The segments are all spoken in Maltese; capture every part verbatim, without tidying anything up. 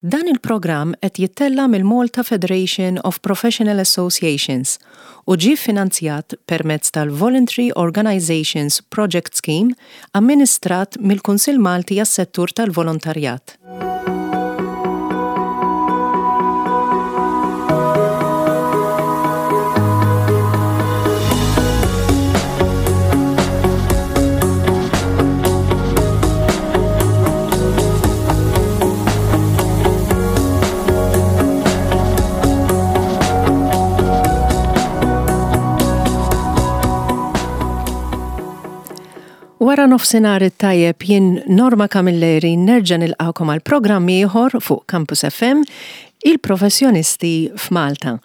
Dan il-programm qed jittella' mill-Malta Federation of Professional Associations u ġie finanzjat permezz tal-Voluntary Organizations Project Scheme amministrat mill-Kunsill Malti għas-Settur tal-Volontarjat. Wara nofsinhar it-tajjeb, jien Norma Camilleri nerġa' nilqakom għal programm ieħor fuq Campus F M, il-professjonisti f'Malta.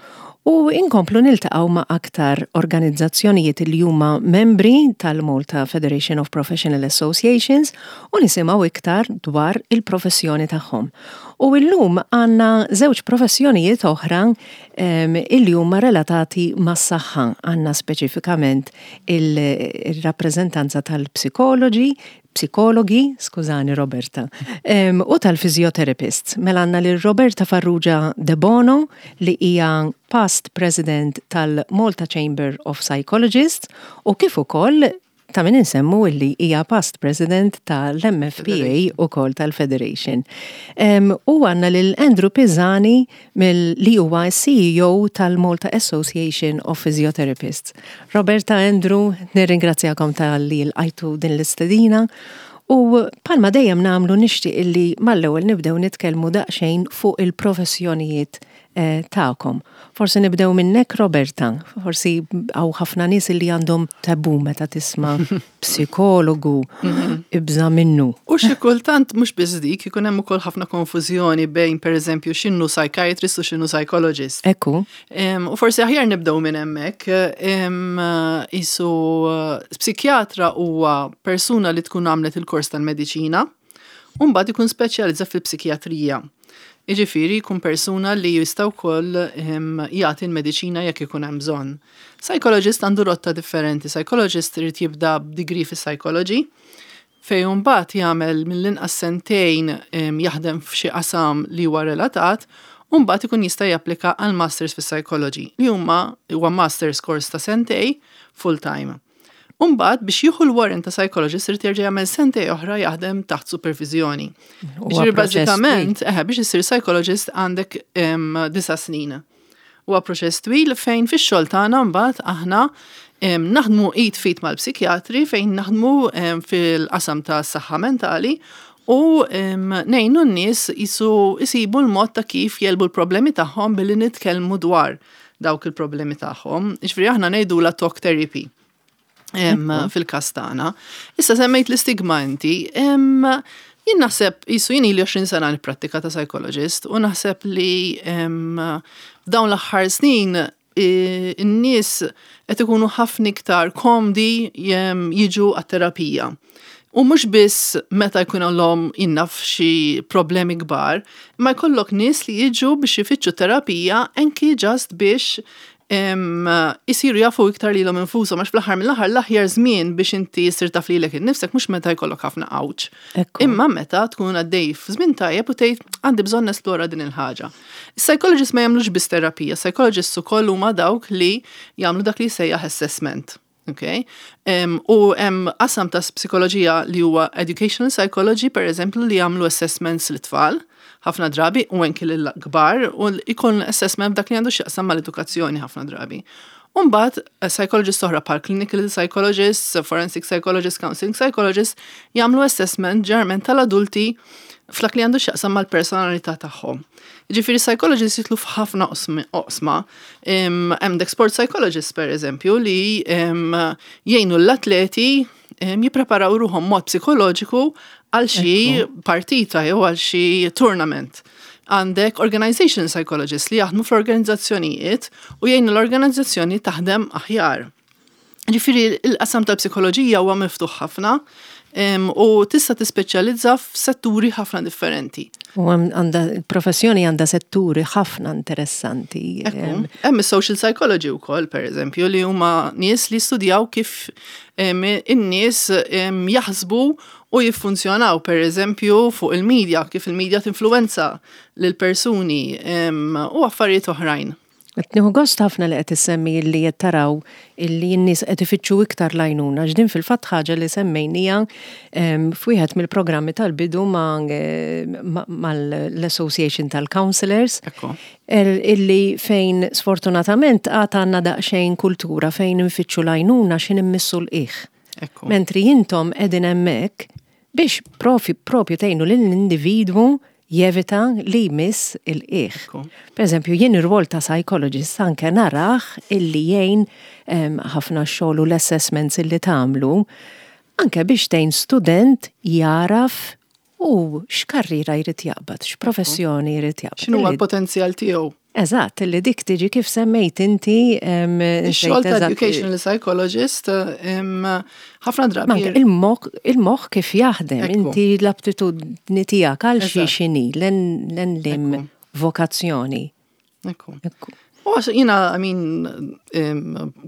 U inkomplu niltaqgħu ma' aktar organizzazzjonijiet li huma membri tal-Malta Federation of Professional Associations u nisimgħu iktar dwar il-professjoni tagħhom. U illum għandna żewġ professjonijiet oħra um, illi huma relatati mas-saħħa. Għandna speċifikament il-rappreżentanza tal-psikoloġi, psikologi, skużani Roberta, um, u tal-physiotherapists. Mela għandna lil Roberta Farrugia De Bono, li hija past president tal-Malta Chamber of Psychologists, u kif ukoll ta' min insemmu illi hija past president tal-M F P A u kol tal-Federation. Um, u għandna lil Andrew Pisani mill li huwa C E O tal-Malta Association of Physiotherapists. Roberta, Andrew, nirringrazzjakom talli lqajtu din l-istedina. U bħalma dejjem nagħmlu, nixtieq illi mal-ewwel nibdew nitkellmu daqsxejn fuq il-professjonijiet eh, tagħkom. Forsi nibdew minnek, Roberta, forsi hawn ħafna nies li għandhom tabu meta tisma' psikologu, ibża minnu. U xi kultant mhux biss dik, ikun hemm ukoll ħafna konfużjoni bejn, pereżempju, x'inhu psychiatrist u x'inhu psychologist. Ekku. Em, U forsi aħjar nibdew minn hemmhekk. Em, Isu psikjatra huwa persuna li tkun għamlet il-kors tal-mediċina u mbagħad ikun speċjalizza fil-psikjatrija. Jiġifieri jkun persuna li jista' wkoll em, jagħti l-mediċina jekk ikun hemm bżonn. Psychologist għandu rotta differenti. Psychologist irid jibda b'degree fis-psychology, fejn mbagħad jagħmel mill-inqas sentejn em, jaħdem f'xi qasam li huwa relatat, u mbagħad ikun jista' japplika għal masters fis-psychology, li huma huwa masters course ta' sentej full time. U mbagħad biex jieħu l-warrant ta' psychologist irid jerġa' jagħmel sentej oħra jaħdem taħt supervizjoni. Huwa Jiġifieri proċess bażikament, eħe, biex issir psychologist għandek em, disa' snin. Huwa proċess twil fejn fix-xogħol tagħna mbagħad aħna em, naħdmu id f'id mal-psikjatri, fejn naħdmu em, fil-qasam ta' saħħa mentali u em, ngħinu n-nies jisu jisibu l-mod ta' kif jegħlbu l-problemi tagħhom billi nitkellmu dwar dawk il-problemi tagħhom. Jiġifieri aħna ngħidulha talk therapy em, fil-każ tagħna. Issa semmejt l-istigma inti. em, Jien naħseb, jisu jien ili għoxrin sena nipprattika ta' psychologist u naħseb li em, f'dawn l-aħħar snin i- n-nies qed ikunu ħafna iktar komdi jem, jiġu għat-terapija. U mhux biss meta jkun innaf xi problemi kbar, ma jkollok nies li jiġu biex ifittxu terapija anki just biex em, isiru jafu iktar lilhom infushom, għax fl-aħħar mill-aħħar l-aħjar żmien biex inti ssir taf lilek innifsek mhux meta jkollok ħafna għawġ. Ekku. Imma meta tkun għaddej f'żmien tajjeb u tgħid, "Għandi bżonn nesplora din il-ħaġa." Psychologists ma jagħmlux biss terapija, psychologists ukoll huma dawk li jagħmlu dak li jsejjaħ assessment. Okay? Um, u hemm qasam ta' psikoloġija li huwa educational psychology, per eżempju, li jagħmlu assessments lit-tfal ħafna drabi u anki lill-kbar, u ikun assessment dak li għandu x'jaqsam mal-edukazzjoni ħafna drabi. Umbagħad, psychologists oħra bħal clinical psychologists, forensic psychologists, counseling psychologists jagħmlu assessment ġeneralment tal-adulti f'dak li għandu x'jaqsam mal-personalità tagħhom. Ġifieri psychologists jidħlu f'ħafna oqsma. Hemm sport psychologists, per eżempju, li jgħinu l-atleti jippreparaw ruħhom mod psikoloġiku għal xi partita jew għal xi tournament. Għandek organization psychologists li jaħdmu fl-organizzazzjonijiet u jgħinu l-organizzazzjoni taħdem aħjar. Ġifieri il-qasam tal-psikoloġija huwa miftuħ ħafna u tista' tispeċjalizza f'setturi ħafna differenti. U għandha professjoni, għandha setturi ħafna interessanti. Hemm is-social psychology wkoll, pereżempju, li huma nies li studjaw kif in-nies jaħsbu U jiffunzjonaw, per eżempju, fuq il-medja, kif il-medja tinfluwenza lil persuni u affarijiet oħrajn. Nieħu gost ħafna li qed issemmi li qed taraw illi n-nies qed ifittxu iktar l-għajnuna, x'din fil-fatt ħaġa li semmejnija f'wieħed mill-programmi tal-bidu mal-Association tal-Counselors, illi fejn sfortunatament għad għandna daqsxejn kultura fejn nfittxu l-għajnuna x'ħin immissu l-qiegħ. Mentri intom qegħdin hemmhekk biex profi propju tgħinu lill-individwu jevita li jmiss il-qiegħ. Per eżempju, jien ir-rwol ta' psychologist anke narah illi jgħin ħafna xogħol u l-assessments illi tagħmlu anke biex tgħin student jaraf u x'karriera jrid jaqbad, x'professjoni jrid jaqbad. X'inhu l-potenzjal tiegħu? Eżatt, li dik tiġi kif semmejt inti. Ix-xogħol ta' educational psychologist ħafna drabi. Il-moħħ kif jaħdem, inti l-aptitudni tiegħek għal xi xini, l-lim vokazzjoni. Ekku. U għax jiena, I mean,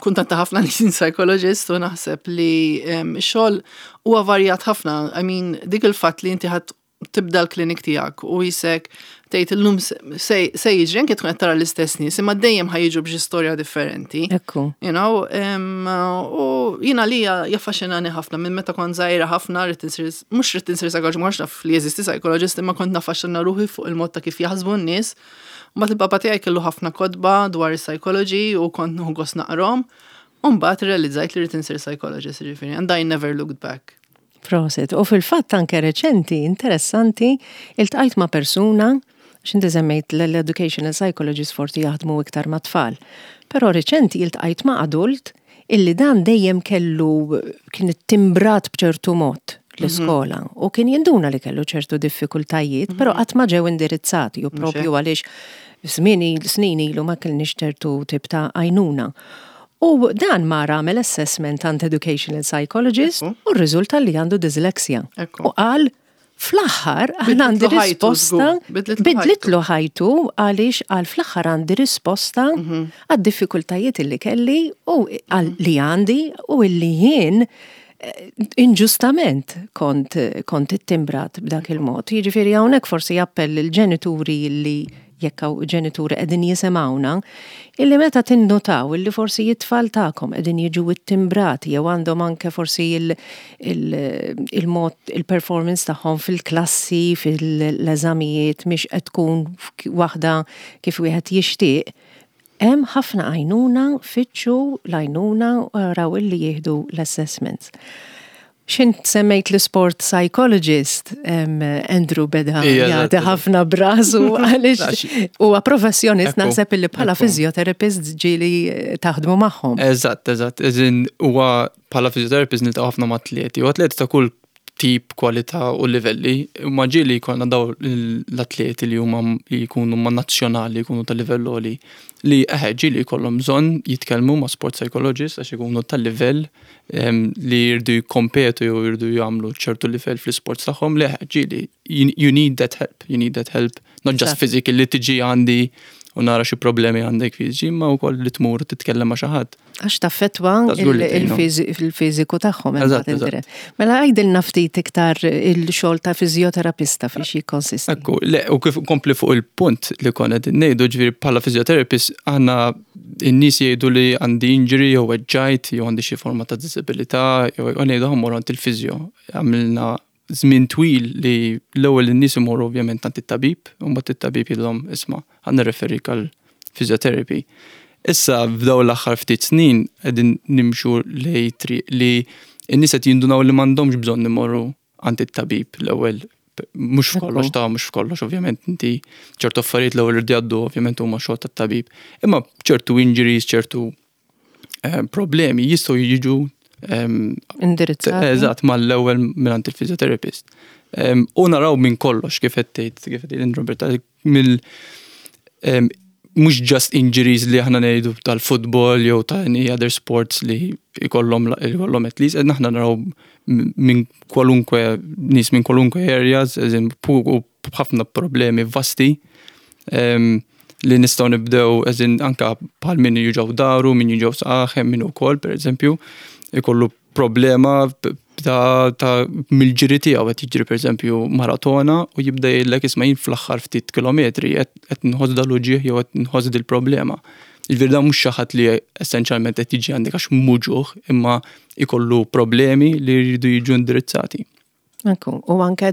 kuntenta ħafna li jien psychologist u naħseb li xogħol huwa varjat ħafna. I mean, dik il-fatt li inti ħadd tibda l-klinik tiegħek u jisek tgħid illum se jiġri, anke tkun qed tara l-istess nies, imma dejjem ħa jiġu b'xi storja differenti. Ekku. You know, u jiena li jaffaxxinani ħafna minn meta kont żgħira ħafna rrid insir, mhux rrid insir psychologist, ma naf li jeżisti psychologist, imma kont naffaxxina ruħi fuq il-mod ta' kif jaħsbu n-nies. Mbagħad il-papa tiegħi kellu ħafna kotba dwar is-psychology u kont nieħu gost naqrahom. U mbagħad realizzajt li rrid insir psychologist, ġifieri, and I never looked back. Prosit. U fil-fatt anke reċenti, interessanti, iltqajt ma' persuna, x'inti semmejt l-educational psychologist forsi jaħdmu iktar ma' tfal. Però reċenti iltqajt ma' adult illi dan dejjem kellu kien timbrat b'ċertu mod l-iskola u kien jinduna li kellu ċertu diffikultajiet, però qatt ma ġew indirizzati u propju għaliex żmien snin ilu ma kellniex ċertu tip ta' għajnuna. U dan mar għamel assessment għand educational psychologist u rriżulta li għandu dyslexia. U qal, fl-aħħar għan għandi risposta, bidlitlu ħajtu, għaliex għal fl-aħħar għandi risposta mhm. għad-diffikultajiet illi kelli u li għandi u illi jien eh, inġustament kont kont ittimbrat b'dak il-mod. Jiġifieri hawnhekk forsi appell il-ġenituri li jekk hawn ġenituri qegħdin jisimgħuna, illi meta tinnotaw illi forsi it-tfal tagħkom qegħdin jiġu ittimbrati jew għandhom anke forsi il-mod il-performance tagħhom fil-klassi, fil-eżamijiet mhix qed tkun waħda kif wieħed jixtieq, hemm ħafna għajnuna, fittxu l-għajnuna u raw illi jieħdu l-assessments. X'int semmejt l-sport psychologist, Andrew beda jagħti ħafna b'rasu għaliex huwa professjonist, naħseb illi bħala physiotherapist ġieli taħdmu magħhom. Eżatt, eżatt, eżin huwa bħala physiotherapist niltaqgħu ħafna ma' atleti, u atleti ta' kull tip, kwalità u livelli, ma ġieli jkollna daw l-atleti li huma li jkunu ma' nazzjonali, jkunu ta' livell għoli, li eħe ġieli jkollhom bżonn jitkellmu ma' sport psychologist għax ikunu tal-livell li jridu jikkompetu jew jridu jagħmlu ċertu livell fl-sports tagħhom, li eħe ġieli you need that help, you need that help, not just physically li tiġi għandi u nara xi problemi għandek fiżiċi, ma wkoll li tmur titkellem ma' xi ħadd. Għax taffettwa il-fiżiku tagħhom. Mela għidilna ftit iktar il-xogħol ta' fiżjoterapista fiex jikkonsisti. Ekku, le, u kif kompli fuq il-punt li konna ngħidu, ġifieri bħala fiżjoterapist aħna n-nies jgħidu li għandi injury jew weġġajt jew għandi xi forma ta' disabilità jew ngħidu ħa mmur għand il-fiżjo. Għamilna żmien twil li l-ewwel in-nies imorru ovvjament għand it-tabib, u mbagħad it-tabib jgħidilhom, "Isma', ħa nirreferik għal physiotherapy." Issa f'daw l-aħħar ftit snin qegħdin nimxu lej triq li n-nies qed jindunaw li m'għandhomx bżonn imorru għand it-tabib l-ewwel, mhux f'kollox ta' mhux f'kollox ovvjament, inti ċertu affarijiet l-ewwel irdu jgħaddu, ovvjament huma xogħol tat-tabib. Imma ċertu injuries, ċertu eh, problemi jistgħu jiġu indirizzati. Eżatt, mal-ewwel minn il-physiotherapist. U naraw minn kollox, kif qed tgħid kif qed tgħid Roberta, mill mhux just injuries li aħna ngħidu tal-futbol jew ta' any other sports li jkollhom jkollhom at least, aħna naraw minn kwalunkwe nies minn kwalunkwe areas, eżin u b'ħafna problemi vasti li nistgħu nibdew, eżin anka bħal min juġgħu dahru, min juġgħu saqajh, min ukoll pereżempju ikollu problema Ta' ta' mill-ġiri tiegħu, qed jiġri pereżempju maratona u jibda jgħidlek, "Isma', jien fl-aħħar ftit kilometri qed nħoss dal-uġigħ jew qed nħoss dil-problema." Jiġifieri dan mhux xi ħadd li essenzjalment qed jiġi għandek għax muġugħ, imma ikollu problemi li jridu jiġu indirizzati. Ekku, u anke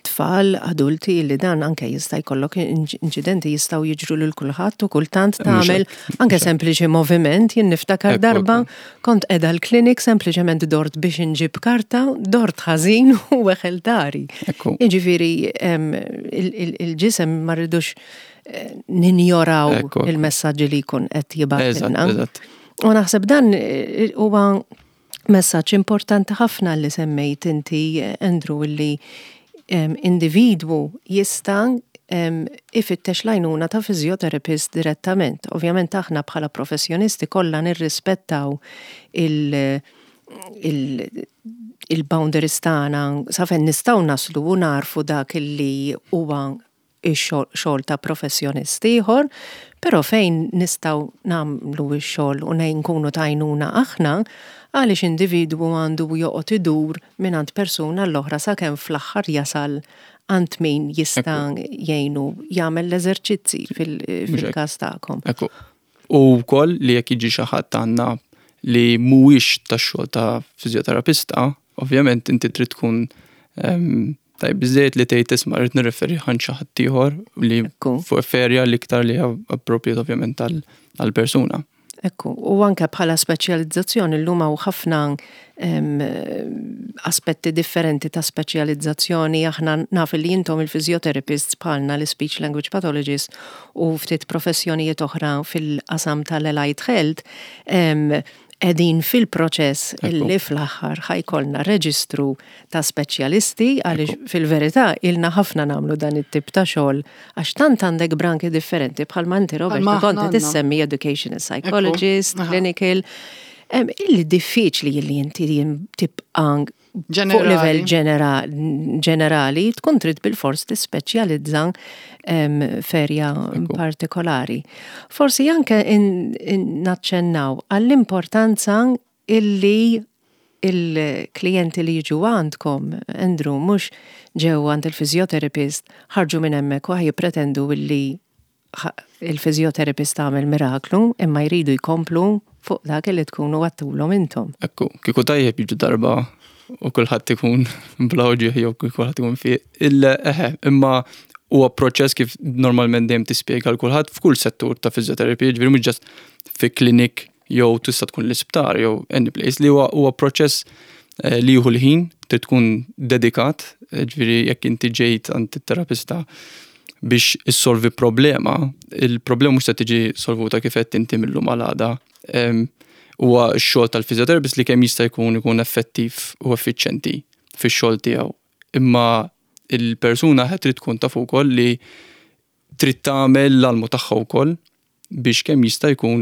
tfal, adulti, li dan anke jista' jkollok inċidenti, jistgħu jiġru lil kulħadd u kultant tagħmel anke sempliċi moviment. Jien niftakar darba kont qiegħda l-klinik, sempliċement dort biex inġib karta, dort ħażin u weħel dari. Jiġifieri il-ġisem ma rridux eh, ninjoraw il-messaġġi li jkun qed jibgħatilna. U naħseb dan eh, huwa messaġġ importanti ħafna li semmejt inti, Andrew, li individwu jista' ifittex l-għajnuna ta' physiotherapist direttament. Ovvjament aħna bħala professjonisti kollha nirrispettaw il- il-boundaries tagħna sa fejn nistgħu naslu u narfu dak li huwa ix-xogħol ta' professjonist ieħor, però fejn nistgħu nagħmlu x-xogħol u nkunu t'għajnuna aħna, għaliex individwu għandu joqgħod idur minn għand persuna l-oħra sakemm fl-aħħar jasal għand min jista' jgħinu jagħmel l-eżerċizzi fil-każ tagħkom? Ekku. U wkoll li jekk jiġi xi ħadd għandna li mhuwiex tax-xogħol ta' fiżjoterapista, ovvjament inti trid tkun tajb biżejjed li tgħid, "Isma', rrid nirreferi għand xi ħadd ieħor li fuq f'area li iktar li appropriate ovvjament għall-persuna." Ekku, u anke bħala speċjalizzazzjoni llum hawn ħafna aspetti differenti ta' speċjalizzazzjoni. Aħna naf li intom il-physiotherapists bħalna l-speech language pathologists u ftit professjonijiet oħra fil-qasam tal-allied health qegħdin fil-proċess illi fl-aħħar ħa jkollna reġistru ta' speċjalisti, għaliex fil-verità ilna ħafna nagħmlu dan it-tip ta' xogħol, għax tant għandek branki differenti, bħal inti, Robert, kont tissemmi educational psychologist, clinical, illi diffiċli illi inti tibqa' fuq livell ġenerali, tkun trid bil-fors tispeċjalizza f'area partikolari. Forsi anke naċċennaw għall-importanza illi il-klijenti li jiġu għandkom, Andrew, mhux ġew għand il-physiotherapist, ħarġu minn hemmhekk u jippretendu illi il-physiotherapist għamel miraklu, imma jridu jkomplu fuq dak li tkunu għedtulhom intom. Ekku, kieku tajjeb jiġu darba u kulħadd ikun bla uġigħ jew kulħadd ikun fi. Il-eħe, imma huwa proċess, kif normalment dejjem tispjega l kulħadd f'kull settur ta' fiżjoterapija, ġifieri mhux just fi klinik jew tista' tkun l-isptar jew any place, li huwa huwa proċess eh, li jieħu l-ħin, trid tkun dedikat, eh, ġifieri jekk inti ġejt għand it-terapista biex issolvi problema, il-problema mhux se tiġi solvuta, kif qed inti, mil-lum għal għada. Huwa x-xogħol tal-physiotherapist li kemm jista' jkun ikun effettiv u effiċjenti fix-xogħol tiegħu. Imma il-persuna qed trid tkun taf ukoll li trid tagħmel l-almu tagħha wkoll biex kemm jista' jkun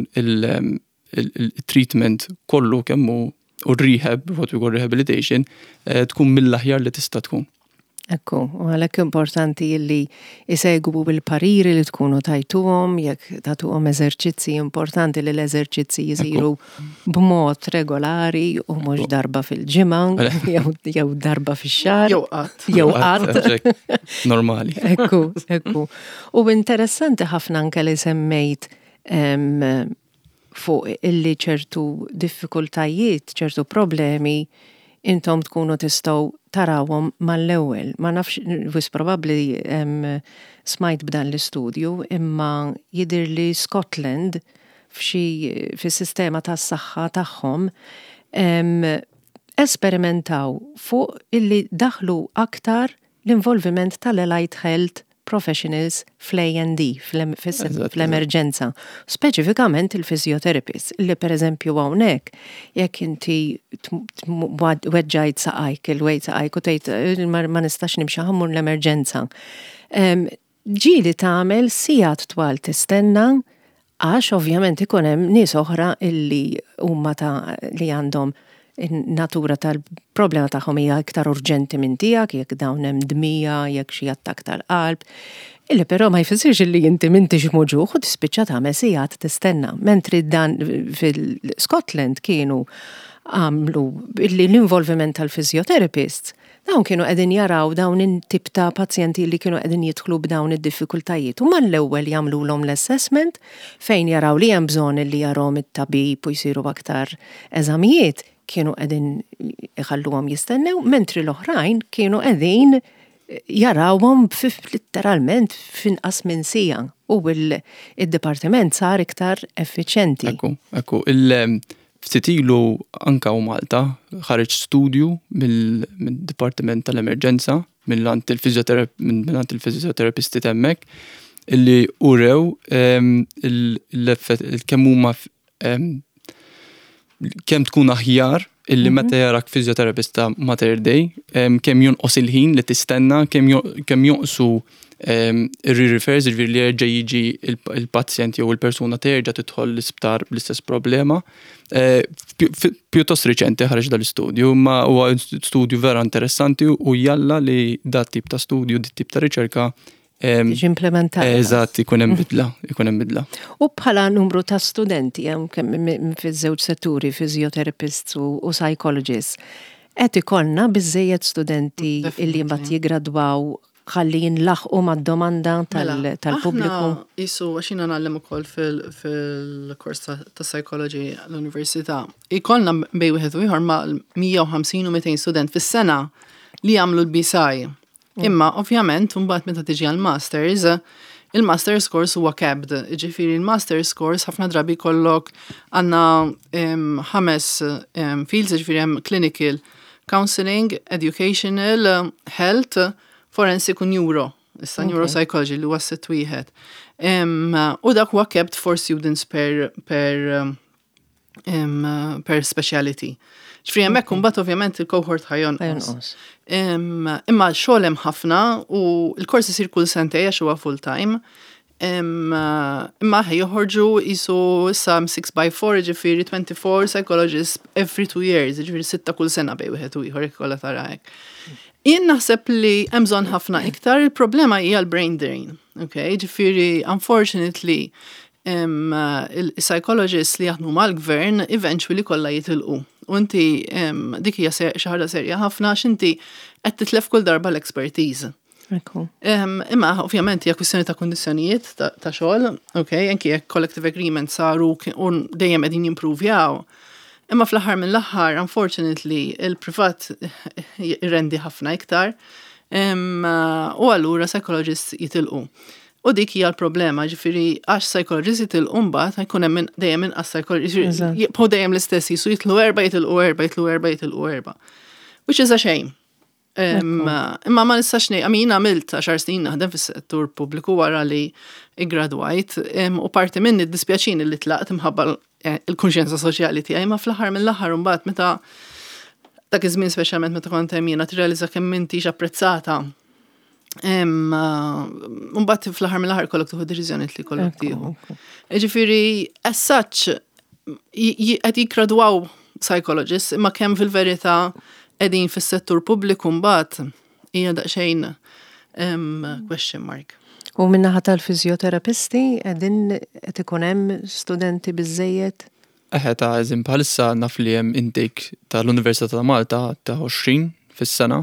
il-treatment kollu kemm hu u rehab, what we call rehabilitation, eh, tkun mill-aħjar li tista' tkun. Ekku, u għalhekk importanti illi jisegwu bil-pariri li tkunu tajtuhom, jekk tatuhom eżerċizzi, importanti li l-eżerċizzi jisiru b'mod regolari u mhux darba fil-ġimgħa jew darba fix-xahar. Jew qatt. Jew qatt. Normali. Ekku, ekku. U interessanti ħafna anke li semmejt fuq illi ċertu diffikultajiet, ċertu problemi intom tkunu tistgħu tarawhom mal-ewwel. Ma nafx, wisq probabbli smajt b'dan l-istudju, imma jidir li Scotland f'xi fis-sistema tas-saħħa tagħhom esperimentaw fuq illi daħlu aktar l-involviment tal-allied health professionals fl-A and E, fl-emerġenza. Speċifikament il-physiotherapist, li per eżempju hawnhekk, jekk inti weġġajt saqajk, il-wejt saqajk u tgħid, eh, "Ma nistax nimxi, ħa mmur l-emerġenza." Ġieli tagħmel sigħat twal tistenna, għax ovvjament ikun hemm nies oħra illi huma ta' li għandhom natura tal-problema tagħhom hija iktar urġenti minn tiegħek, jekk dawn hemm dmija, jekk xi attak tal-qalb. Illi però ma jfissirx illi inti m'intix muġugħ u tispiċċa tagħmel sigħat tistenna. Mentri dan fil-Scotland kienu Għamlu illi l-involviment tal-physiotherapists, dawn kienu qegħdin jaraw dawn it-tip ta' pazjenti li kienu qegħdin jidħlu b'dawn id-diffikultajiet. U mal-ewwel jagħmluhom l-assessment fejn jaraw li hemm bżonn li jarahom it-tabib u jsiru aktar eżamijiet, kienu qegħdin iħalluhom jistennew, mentri l-oħrajn kienu qegħdin jarawhom literalment f'inqas minn siegħa u il-dipartiment sar iktar effiċjenti. Ekku, ekku. Ftit ilu anka u Malta ħareġ studju mill-Dipartiment tal-Emerġenza mill-ant il-fizjoterapisti t'hemmhekk illi urew kemm huma kemm tkun aħjar illi meta jarak fizjoterapista Mater Dei, kemm jonqos il-ħin li tistenna, kemm jonqsu ir-refers, ġifieri li jerġa' jiġi il-pazjent jew il-persuna terġa' tidħol l-isptar bl-istess problema. Eh, pjuttost riċenti ħareġ dal-istudju, ma huwa studju vera interessanti u jalla li dat tip ta' studju, dit tip ta' riċerka tiġi implementata. Eżatt, ikun hemm bidla, ikun hemm bidla. U bħala numru ta' studenti hemm kemm fiż-żewġ setturi, physiotherapists u psychologists, qed ikollna biżejjed studenti illi mbagħad jiggradwaw ħalli jinlaħqu mad-domanda Mela, tal-pubbliku? Aħna Isu, għax jiena ngħallem ukoll fil-kors ta' psychology l-università. Ikollna bejn wieħed u ieħor ma' mija u ħamsin u mitejn student fis-sena li jagħmlu l-BPsy. Imma ovvjament mbagħad meta tiġi għal-masters, il-masters course huwa capped. Ġifieri il-masters course ħafna drabi kollok għandna ħames fields, ġifieri hemm clinical, counseling, educational, health, forensic u neuro. Issa okay. Neuropsychology li huwa sitt wieħed. U dak huwa capped four students per per um, per speciality. Ġifieri hemmhekk imbagħad ovvjament il-cohort ħa jonqos. Imma xogħol hemm ħafna u l-kors isir kull sentej għax huwa full time. Imma ħej joħorġu jisu issa six by four, ġifieri twenty-four psychologists every two years, ġifieri sitta kull sena bejn wieħed u ieħor jekk kollha tara hekk. Jien naħseb li hemm bżonn ħafna iktar, il-problema hija l-brain drain. Okay, ġifieri unfortunately il-psychologists li jaħdmu mal-gvern eventually kollha jitilqu. U inti dik hija xi ħaġa serja ħafna għax inti qed titlef kull darba l-expertise. Imma ovvjament hija kwistjoni ta' kundizzjonijiet ta' xogħol, ok, anki jekk collective agreement saru u dejjem qegħdin jimprovjaw. Imma fl-aħħar mill-aħħar, unfortunately, il-privat irrendi ħafna iktar. U allura psychologists jitilqu. U dik hija l-problema, ġifieri għax psychologists jitilqu mbagħad jkun hemm dejjem inqas psychologists, jibqgħu dejjem l-istess, jisu jitlu erba', jitilqu erba', jitlu erba', jitilqu erba'. Which is a shame. Imma ma nistax ngħid, għax jien għamilt għaxar snin naħdem fis-settur pubbliku wara li iggradwajt, u parti minni dispjaċini li tlaqt imħabba il-kunxjenza soċjali tiegħi, ma fl-aħħar mill-aħħar mbagħad meta dak iż-żmien, speċjalment meta kont hemm jiena, tirrealizza kemm m'intix apprezzata. Mbagħad fl-aħħar mill-aħħar kollok tieħu deċiżjoni li kollok tieħu. Ġifieri, as such, qed jiggradwaw psychologists, imma kemm fil-verità qegħdin fis-settur pubbliku mbagħad hija daqsxejn question mark. U min-naħa tal-fizjoterapisti qegħdin qed ikun hemm studenti biżejjed? Eħe, ta' eżempju, bħalissa naf li hemm intake tal-Università ta' Malta ta' għoxrin fis-sena.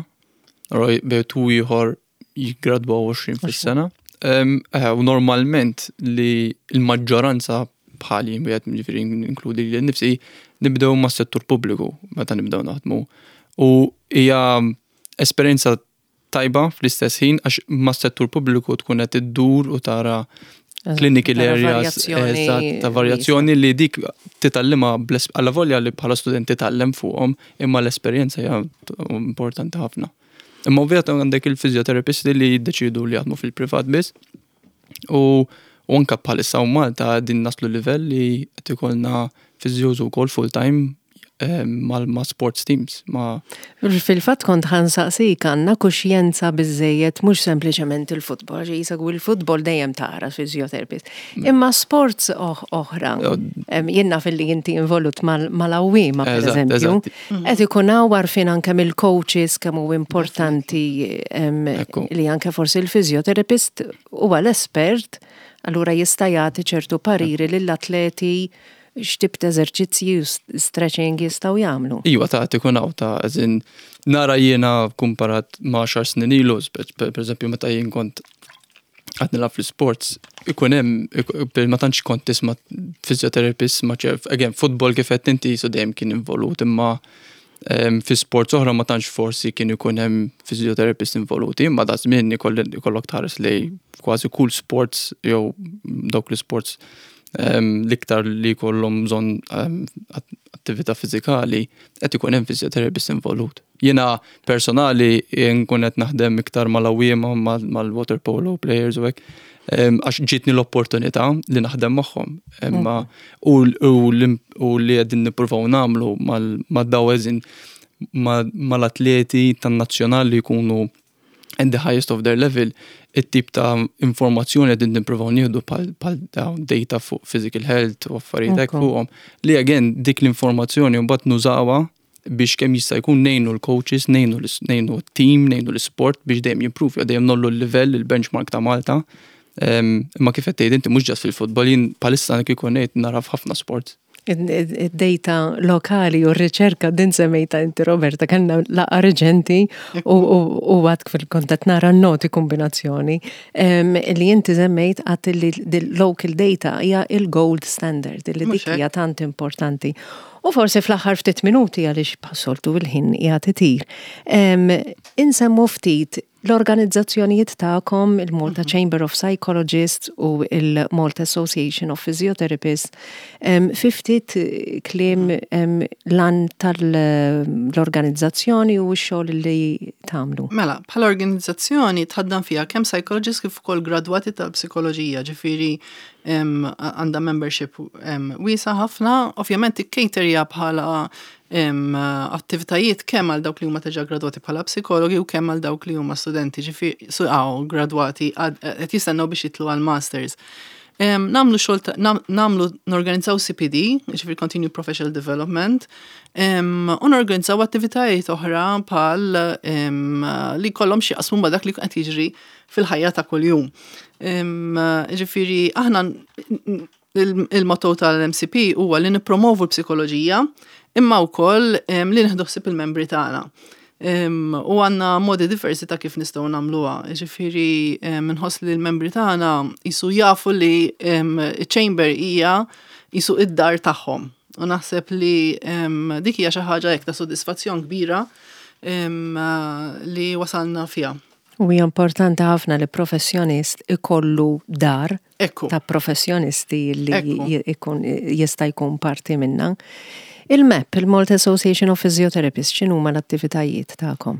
Bejn ieħor jiggradwaw għoxrin fis-sena. Eħe, u normalment li l-maġġoranza bħali, wieħed ġifieri inkludi lili nnifsi, nibdew ma' settur pubbliku meta nibdew naħdmu. U hija esperjenza tajba fl-istess ħin għax ma' settur pubbliku tkun qed iddur u tara clinical areas ta' varjazzjoni li dik titgħallimha għalla volja li bħala student titgħallem fuqhom, imma l-esperjenza hija importanti ħafna. Imma ovvjament għandek il-fizjoterapisti li jiddeċidu li jaħdmu fil-privat biss u u anka bħalissa u Malta din naslu livell li qed ikollna physios ukoll full time ma' sports teams. Ma' Fil-fatt kont ħa nsaqsik, għandna kuxjenza biżejjed, mhux sempliċement il-futbol, ġi jisegwu il-futbol dejjem tara physiotherapist. Mm. Imma sports oħra, jiena fil-li inti involut mal-għawwiema, per eżempju, qed ikun hawn għarfien anke mill-coaches kemm hu importanti li anke forsi il-physiotherapist huwa l-espert, allura jista' jagħti ċertu pariri lill-atleti. x'tip ta' eżerċizzji u stretching jistgħu jagħmlu. Iwa, ta' tikun hawn ta' eżin nara jiena kumparat ma' għaxar snin ilu, per eżempju meta jien kont għad nilgħab fl-sports, ikun hemm, ma tantx kont tisma' physiotherapist, ma ċerf, again, football kif qed inti so dejjem kien involut, imma fi sports oħra ma tantx forsi kien ikun hemm physiotherapist involuti, imma da żmien ikollok tħares li kważi kull sports jew dawk l-sports l-iktar li jkollhom bżonn attività fiżikali qed ikun hemm physiotherapist involut. Jiena personali nkun qed naħdem iktar mal-għawwiema, mal-water polo players u hekk, għax ġietni l-opportunità li naħdem magħhom. Imma u li qegħdin nippruvaw nagħmlu mad-daw mal-atleti tan-nazzjonal li jkunu at the highest of their level, it-tip ta' informazzjoni qegħdin nippruvaw nieħdu bħal data fuq physical health u affarijiet hekk fuqhom. Li again dik l-informazzjoni mbagħad nużawha biex kemm jista' jkun ngħinu l-coaches, ngħinu ngħinu t-team, ngħinu l-sport biex dejjem jimprove, dejjem ngħollu l-livell, il-benchmark ta' Malta. Imma kif qed tgħid inti, mhux just fil-futbol, jien bħalissa kieku ngħid nara f'ħafna sports. Id-data lokali u r-riċerka din semmejta inti, Roberta, kellna laqgħa reċenti u għad fil-kontat nara noti kombinazzjoni li inti semmejt għat li local data hija il-gold standard li dik hija tant importanti. U forsi fl-aħħar ftit minuti, għaliex bħas-soltu il-ħin qiegħed itir, insemmu ftit l-organizzazzjonijiet tagħkom, il-Malta mhm. Chamber of Psychologists u il-Malta Association of Physiotherapists, fi ftit kliem l-għan tal-organizzazzjoni u x-xogħol li tagħmlu. Mela, bħala organizzazzjoni tħaddan fiha kemm psychologists kif ukoll gradwati tal-psikoloġija, ġifieri għandha membership wiesa ħafna, ovvjament ikkaterja bħala attivitajiet kemm għal dawk li huma diġà gradwati bħala psikologi u kemm għal dawk li huma studenti, ġifieri gradwati qed jistennew biex jitlu għal masters. Nagħmlu xogħol, nagħmlu, norganizzaw C P D, ġifieri Continued Professional Development, u norganizzaw attivitajiet oħra bħal li kollhom xi jaqsmu ma' dak li qed jiġri fil-ħajja ta' kuljum. Ġifieri aħna il-motto tal-M C P huwa li nippromovu l-psikoloġija imma wkoll li nieħdu ħsieb il-membri tagħna. U għandna modi diversi ta' kif nistgħu nagħmluha. Ġifieri nħoss li l-membri tagħna jisu jafu li chamber hija jisu id-dar tagħhom. U naħseb li dik hija xi ħaġa hekk ta' sodisfazzjon kbira li wasalna fiha. U hija importanti ħafna li professjonist ikollu dar Ekku. ta' professjonisti li ikun jista' jkun parti minna. Il-M A P, il-Malta Association of Physiotherapists, x'inhuma l-attivitajiet tagħkom?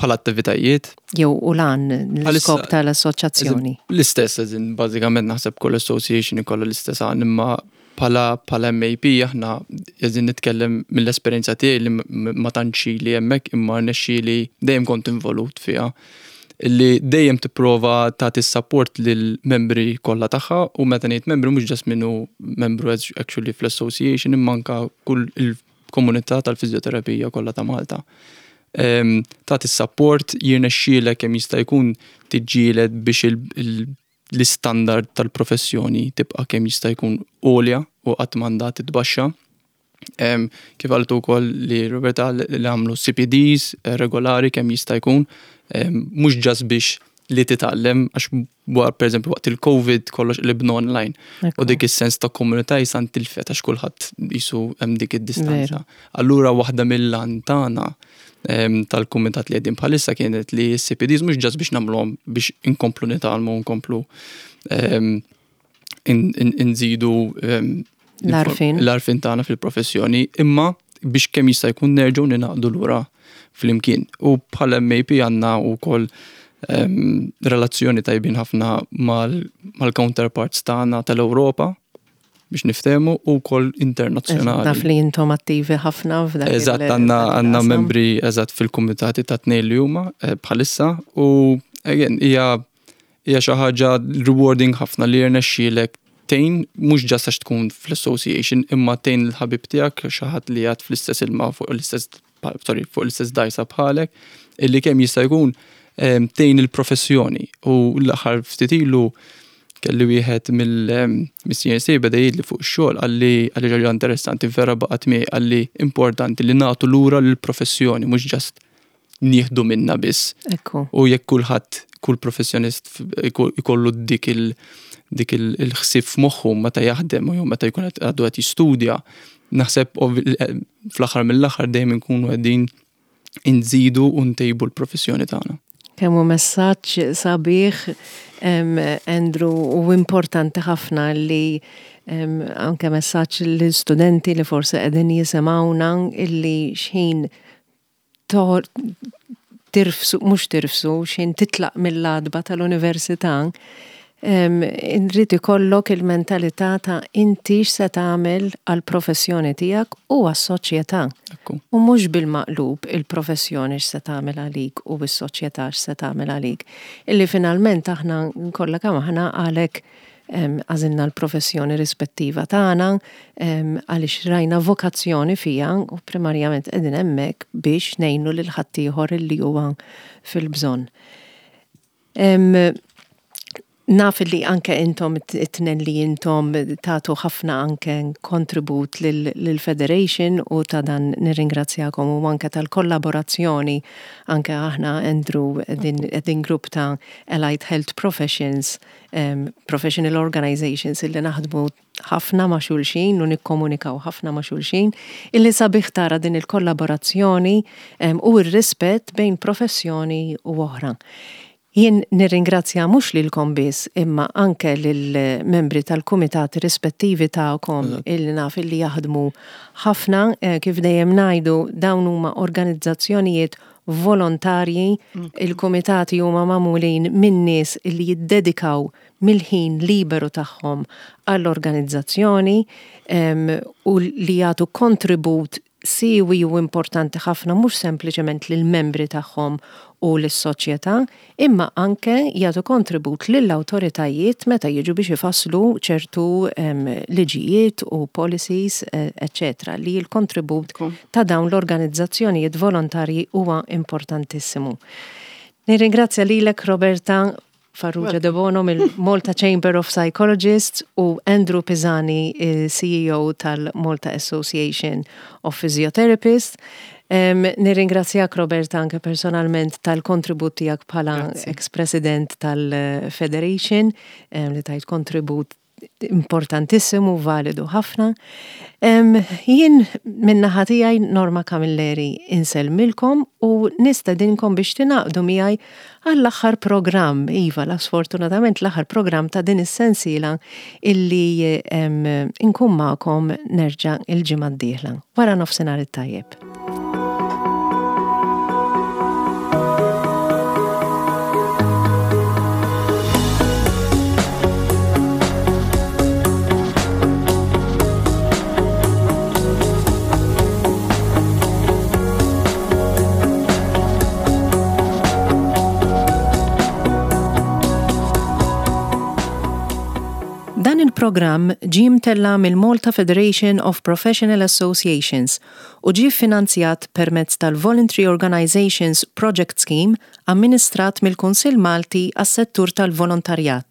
Bħala attivitajiet? Jew u lan l-iskop tal-assoċjazzjoni. L-istess, eżin, bażikament naħseb kull association ikollha l-istess għan, imma bħala bħala M A P aħna eżin nitkellem mill-esperjenza tiegħi li ma tantx li hemmhekk, imma rnexxieli dejjem kont involut fiha, li dejjem tipprova tagħti support lil membri kollha tagħha, u meta ngħid membri mhux just minnu membru actually fl-association, imma anka kull il-komunità tal-fiżjoterapija kollha ta' Malta. Tagħti support, jirnexxielek kemm jista' jkun tiġġieled biex l-istandard tal-professjoni tibqa' kemm jista' jkun għolja u qatt m'għandha titbaxxa. Kif għaltu wkoll li Roberta, li għamlu C P Ds eh, regolari kemm jista' jkun, mhux just biex li titgħallem, għax per eżempju waqt il-Covid kollox li bnu online. U dik is-sens ta' komunità jisan tilfet għax kulħadd jisu hemm dik id-distanza. Allura waħda mill-għan tagħna tal-kumitat li qegħdin bħalissa kienet li s-C P Ds mhux just biex nagħmluhom biex inkomplu nitgħallmu, nkomplu nżidu l-għarfien. L-għarfien tagħna fil-professjoni, imma biex kemm jista' jkun nerġgħu ningħaqdu lura flimkien. U bħala M A P għandna wkoll relazzjoni tajbin ħafna mal-counterparts tagħna tal-Ewropa biex niftehmu u wkoll internazzjonali. Naf li intom attivi ħafna f'dak. Eżatt, għandna għandna membri eżatt fil-kumitati ta' tnejn li huma eh, bħalissa u again hija hija xi ħaġa rewarding ħafna li jirnexxielek tgħin, mhux just għax tkun fl-association, imma tgħin il-ħabib tiegħek, xi ħadd li għad fl-istess ilma, fuq l-istess, sorry, fuq l-istess dajsa bħalek, illi kemm jista' jkun tgħin il-professjoni. U l-aħħar ftit ilu Kelli wieħed mill-C N C beda jgħidli fuq ix-xogħol, qalli qalli ħaġa interessanti vera baqgħet miegħi, qalli importanti li nagħtu lura lill-professjoni, mhux just nieħdu minna biss. Ekku. U jekk kulħadd, kull professjonist ikollu dik il- dik il-ħsieb f'moħħu meta jaħdem u jew meta jkun għadu qed jistudja, naħseb fl-aħħar mill-aħħar dejjem inkunu qegħdin inżidu u ntejbu l-professjoni tagħna. Kemm hu messaġġ sabiħ, Andrew, u importanti ħafna li anke messaġġ l-studenti li forse qegħdin jisimgħuna illi xħin tirfsu, mhux tirfsu, xħin titlaq mill-għatba tal-università, irid ikollok il-mentalità ta' inti x'se tagħmel għall-professjoni tiegħek u għas-soċjetà. U mhux bil-maqlub, il-professjoni x'se tagħmel għalik u s-soċjetà x'se tagħmel għalik. Illi finalment aħna kollha kemm aħna għalhekk għażilna l-professjoni rispettiva tagħna, għaliex rajna vokazzjoni fija u primarjament qegħdin hemmhekk biex ngħinu lil ħaddieħor li huwa fil-bżonn. Naf li anke intom it-tnejn li intom tagħtu ħafna anke kontribut lill-Federation u ta' dan nirringrazzjakom u anke tal-kollaborazzjoni. Anke aħna, Andrew, din grupp ta' Allied Health Professions, um, Professional Organizations illi naħdmu ħafna ma' xulxin u nikkomunikaw ħafna ma' xulxin, illi sabiħ tara din il-kollaborazzjoni um, u r-rispett bejn professjoni u oħra. Jien nirringrazzja mhux lilkom biss, imma anke lill-membri tal-kumitati rispettivi tagħkom illi naf illi jaħdmu ħafna, eh, kif dejjem ngħidu, dawn huma organizzazzjonijiet volontarji, mm. il-kumitati huma magħmulin minn nies illi jiddedikaw mill-ħin liberu tagħhom għall-organizzazzjoni u li jagħtu kontribut siewi u importanti ħafna mhux sempliċement lill-membri tagħhom u lis-soċjetà, imma anke jagħtu kontribut lill-awtoritajiet meta jiġu biex ifasslu ċertu liġijiet u policies, eccetera, li l-kontribut ta' dawn l-organizzazzjonijiet volontarji huwa importantissimu. Nirringrazzja lilek, Roberta Farrugia De Bono mill-Malta Chamber of Psychologists, u Andrew Pisani, C E O tal-Malta Association of Physiotherapists. Um, nirringrazzjak Roberta anke personalment tal-kontribut tiegħek bħala ex-president tal-Federation, um, li tajt kontribut importantissimu, validu ħafna. Um, jien min-naħa tiegħi, Norma Camilleri, insellmilkom u nistedinkom biex tingħaqdu miegħi għall-aħħar programm, iva, la sfortunatament l-aħħar programm ta' din is-sensiela illi um, inkun magħkom nerġa' il-ġimgħa d-dieħla. Wara nofsinhar it-tajjeb. Dan il-programm ġie mtella' mill-Malta Federation of Professional Associations u ġie finanzjat permezz tal-Voluntary Organizations Project Scheme amministrat mill-Kunsill Malti għas-settur tal-volontarjat.